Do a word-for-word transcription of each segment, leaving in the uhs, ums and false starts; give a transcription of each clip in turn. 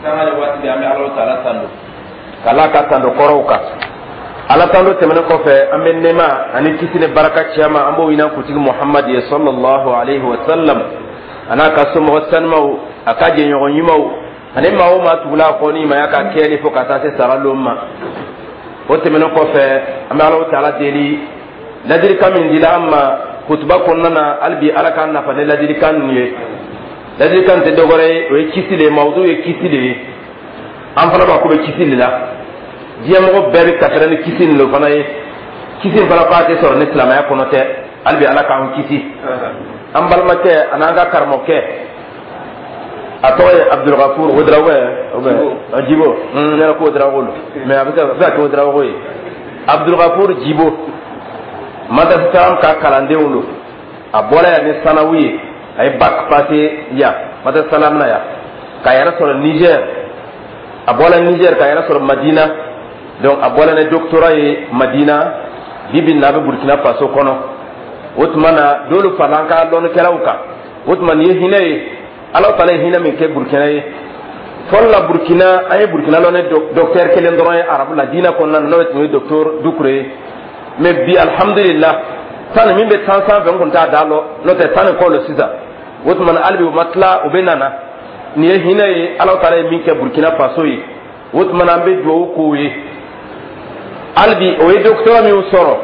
Sanga ni waati bɛɛ, an bɛ Ala taala tando k'Ala ka tando kɔrɔw kan. Ala tando tɛmɛnen kɔfɛ, an bɛ nɛɛma ani kisi ni baraka ciyama, an b'o ɲini an kuntigi Muhamadu ye, sallallahu alayhi wa sallam, a n'a ka somɔgɔ sanumaw, a ka jɛɲɔgɔn ɲumanw, ani maa o maa tugula a kɔ ni ɲumanya ka kɛli fo ka taa se sara lon ma. O tɛmɛnen kɔfɛ, an bɛ Ala taala deli, ladilikan min dila an ma kutuba kɔnɔna na, hali bi Ala k'an nafa ni ladilikan ninnu ye. Ladilikan tɛ dɔwɛrɛ ye, o ye kisi de ye. Mawudu ye kisi de ye. An fana b'a ko bɛ kisi de la. Diɲɛmɔgɔ bɛɛ bɛ kasira ni kisi nin de fana ye. Kisi in fana k'a tɛ sɔrɔ ni silamɛya kɔnɔ tɛ. Hali bi Ala k'an kisi. An balimakɛ an'an ka karamɔgɔkɛ, a tɔgɔ ye Abdulgafur Ouedraogo ye, Jibo. Ne yɛrɛ ko Ouedraogo don, mais a bɛ se ka kɛ Ouedraogo ye. Abdulgafur Jibo, Madrasa ka kalandenw don. A bɔra yan ni sanawu ye, a ye bac passé yan Madrasa Salam na yan, k'a yɛrɛ sɔrɔ Niger. A bɔra Niger k'a yɛrɛ sɔrɔ Madina. Donc a bɔra ni doctorat ye Madina. Bi bi in na, a bɛ Burkina Faso kɔnɔ. O tuma na, dɔwlu farala an ka lɔnnikɛlaw kan. O tuma, nin ye hinɛ ye, Ala taala ye hinɛ min kɛ Burkina ye. Fɔlɔ la, Burkina, an ye Burkina lɔnni docteur kelen dɔrɔn ye arabu la diinɛ kɔnɔna na, n'o tun ye docteur Dukure ye. Mais bi, alhamdulillah, tan min bɛ tan sanfɛ, n kun t'a da lɔ, n'o tɛ tan ni kɔ lo sisan. O tuma na, hali bi u ma tila, u bɛ nana. Nin ye hinɛ ye, Ala taala ye min kɛ Burkina Faso ye. O tuma na, an bɛ dugawu k'o ye. Hali bi o ye doctorat min sɔrɔ,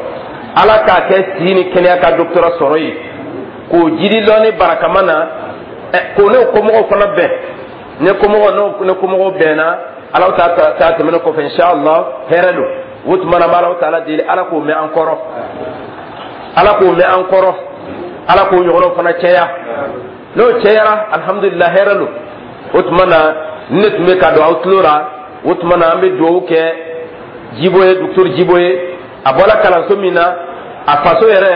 Ala k'a kɛ si ni kɛnɛya ka doctorat sɔrɔ ye, k'o jiri lɔnni barakama na, k'o ne komɔgɔw fana bɛn. Ne komɔgɔw, n'o ne komɔgɔw bɛnna, Ala ta ta tɛmɛnen kɔfɛ, inshallah, hɛrɛ don. O tuma na, an bɛ Ala taala deli, Ala k'o mɛn an kɔrɔ, Ala k'o mɛn an kɔrɔ, Ala k'o ɲɔgɔnnaw fana caya. N'o cayara, alhamdulillah, hɛrɛ don. O tuma na, ni ne tun bɛ ka don aw tulo la. O tuma na, an bɛ dugawu kɛ Jibo ye, docteur Jibo ye. A bɔra kalanso min na, a faso yɛrɛ,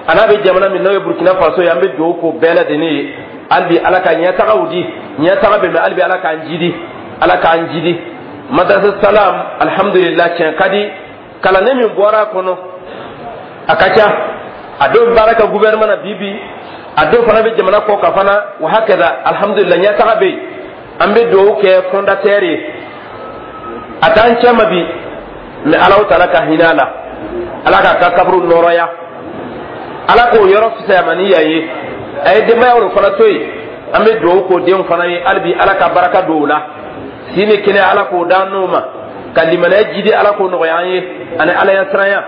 a n'a bɛ jamana min, n'o ye Burkina Faso ye, an bɛ dugawu k'o bɛɛ lajɛlen ye. Hali bi Ala ka ɲɛtagaw di, ɲɛtaga bɛ mɛn. Hali bi Ala k'an jidi, Ala k'an jidi. Madrasa Salam, alhamdulillah, tiɲɛ ka di, kalanden min bɔra a kɔnɔ, a ka ca. A dɔw bɛ baara kɛ gouvernement na bi bi, a dɔw fana bɛ jamana kɔ kan fana. Wa hakaza, alhamdulillah, ɲɛtaga bɛ yen. An bɛ dugawu kɛ fondateur ye. A t'an cɛ ma bi, mais Ala taala ka hinɛ a la, Ala k'a ka kaburu nɔrɔya, Ala k'o yɔrɔ fisaya ma ni yan ye. A ye denbayaw fana to yen, an bɛ dugawu k'o denw fana ye. Hali bi Ala ka baraka don o la, si ni kɛnɛya, Ala k'o d'an n'o ma, ka limaniya jidi, Ala k'o nɔgɔya an ye, ani Ala ɲɛsiranya,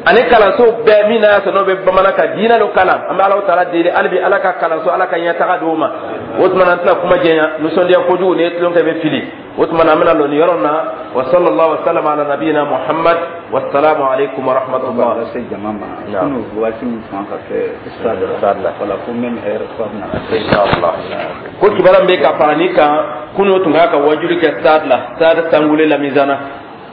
ani kalanso bɛɛ min n'a y'a sɔrɔ n'o bɛ bamanan ka diinɛ dɔ kalan. An bɛ Ala taala deli, hali bi Ala ka kalanso, Ala ka ɲɛtaga d'o ma. O tuma na, an tɛna kuma jɛnya, nisɔndiya kojugu, ni ye tulon kɛ, bɛ fili. O tuma na, an bɛna lɔ nin yɔrɔ na. Wa sallallahu wa sallam ala nabiyina Muhammad, wasalaamu aleykum wa rahmatullah. Lase jama ma, kunu waati min tun ka kɛ stade la, wala ko même heure ko a bɛna kɛ. Inshallah. Ko kibaruya min bɛ ka fara nin kan, kunu tun ka ka wajuli kɛ stade la, stade Sangule Lamizana,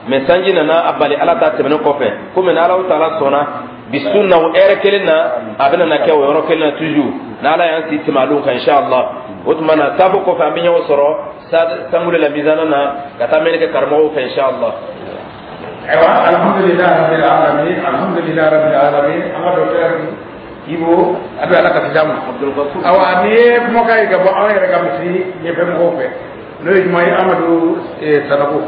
mais sanji nana a bali. Ala ta tɛmɛnen kɔfɛ, komi ni Ala taala sɔnna, bi sun na, o heure kelen na, a bɛna na kɛ o yɔrɔ kelen na toujours, n'Ala y'an si tɛmɛ alon kan, inshallah. O tuma na, saafo kɔfɛ, an bɛ ɲɔgɔn sɔrɔ stade Sangule Lamizana na, ka taa mɛnni kɛ karamɔgɔw fɛ, inshallah. Ayiwa, alhamdulilah rabbil alamin, alhamdulilah rabbil alamin. An ka docteur Ibo, a bɛ Ala ka d'a ma. Awa, nin ye kumakan ye ka bɔ anw yɛrɛ ka misiri ɲɛfɛ mɔgɔw fɛ, n'o ye jumɛn ye? Amadu Sanogo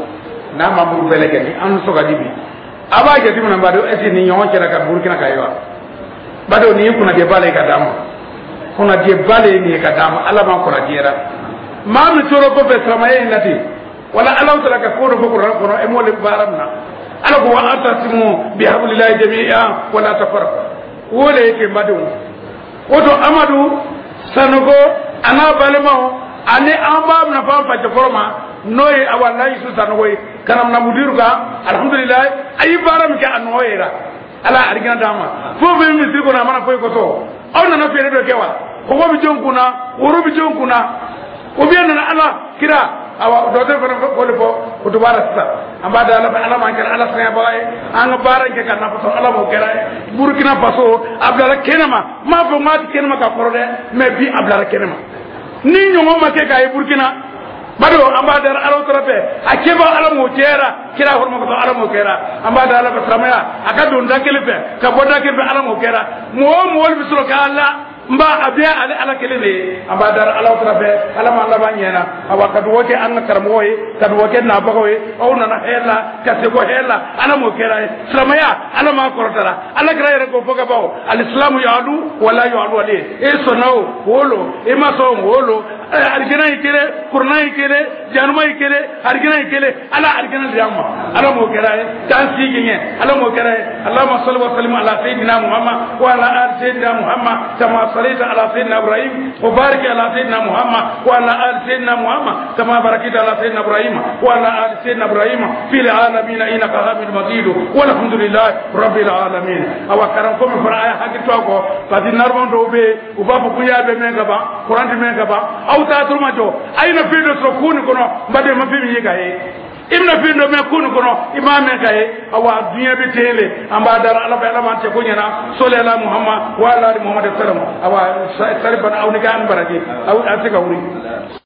n'a membre bɛɛ lajɛlen, an nisɔn ka di bi. A b'a jateminɛ, n b'a dɔn, est ce que nin ɲɔgɔn cɛla ka Burukina ka ye wa? B'a dɔn, nin ye kunnadiyaba le ye ka d'a ma, kunnadiyaba le ye nin ye ka d'a ma. Ala m'an kunnadiyara. Maa min tora kɔfɛ silamɛya in na ten, wala Ala taala ka ko dɔ fɔ kuranɛ kɔnɔ, e m'o le baara min na. Ala ko: wa atasimu bihablillahi jami'an wala tafarraqu. Wo le ye ten, badenw. O to Amadu Sanogo a n'a balimaw ani an b'a minɛ fɔ an facɛkɔrɔ ma, n'o ye awa Layisu Sanogo ye, ka na mina mudiru kan. Alhamdulilayi, a ye baara min kɛ, a nɔ yera. Ala arigina d'an ma. Fɛn o fɛn misiri kɔnɔ, a mana foyi kɔsɔ. Aw nana feere dɔ kɛ wa? Kɔgɔ bɛ jɔn kunna, woro bɛ jɔn kunna, o bɛ nana Ala kira. Awa, docteur fana o de fɔ o to baara sisan. An b'a da Ala fɛ, Ala m'an kɛra Ala sɛgɛnbaga ye. An ka baara in kɛ ka nafa sɔrɔ, Ala m'o kɛra ye. Burukina Faso a bilara kɛnɛma. N m'a fɔ n k'a ti kɛnɛma ka kɔrɔ dɛ, mais bi a bilara kɛnɛma ni ɲɔgɔn ma kɛ k'a ye Burukina. Bado, an b'a da Ala tɔrɔ fɛ, a kɛba, Ala m'o kɛra kira hɔrɔma kosɔn, Ala m'o kɛra. An b'a da Ala fɛ, silamɛya a ka don da kelen fɛ ka bɔ da kelen fɛ, Ala m'o kɛra. Mɔgɔ o mɔgɔ bɛ sɔrɔ k'a la. N b'a a bɛɛ ale Ala kelen de ye. An b'a dara Ala tara fɛ, Ala ma laban ɲɛna. Awa, ka dugawu kɛ an ka karamɔgɔw ye, ka dugawu kɛ nabagaw ye. Aw nana hɛrɛ la ka segin hɛrɛ la, Ala m'o kɛra ye. Silamɛya, Ala m'a kɔrɔtara. Ala kɛra yɛrɛ k'o fɔ ka ban: الإسلام يعلو ولا يعلى عليه. E sɔnna o wolo, e ma sɔn wolo, arijɛnɛ ye kelen, kuranɛ ye kelen, januma ye kelen, arijɛnɛ ye kelen. Ala arijɛnɛ di an ma, Ala m'o kɛra ye k'an sigi ɲɛ, Ala m'o kɛra ye. اللهم صل وسلم على سيدنا محمد وعلى آل سيدنا محمد كما صليت على سيدنا إبراهيم، وبارك على سيدنا محمد وعلى آل سيدنا محمد كما باركت على سيدنا إبراهيم وعلى آل سيدنا إبراهيم في العالمين إنك حميد مجيد، والحمد لله رب العالمين. Awa, karam ko min fana, a ye hakili to a kɔ, parce que narman dɔw bɛ yen, u b'a fɔ ko y'a bɛ mɛn ka ban, kuran tɛ mɛn ka ban. Aw t'a turu ma jɔ, a ye na fɛn dɔ sɔrɔ kun nin kɔnɔ. N baden, ma fɛn min ye ka ye, i bɛna fɛn dɔ mɛn kun nin kɔnɔ, i m'a mɛn ka ye. Awa, diɲɛ bɛ ten le. An b'a dara Ala fɛ, Ala m'an cɛ ko ɲɛna. صل على محمد وعلى آل محمد سلم. Awa, sari bana, aw ni k'an baraji, aw a se ka wuli.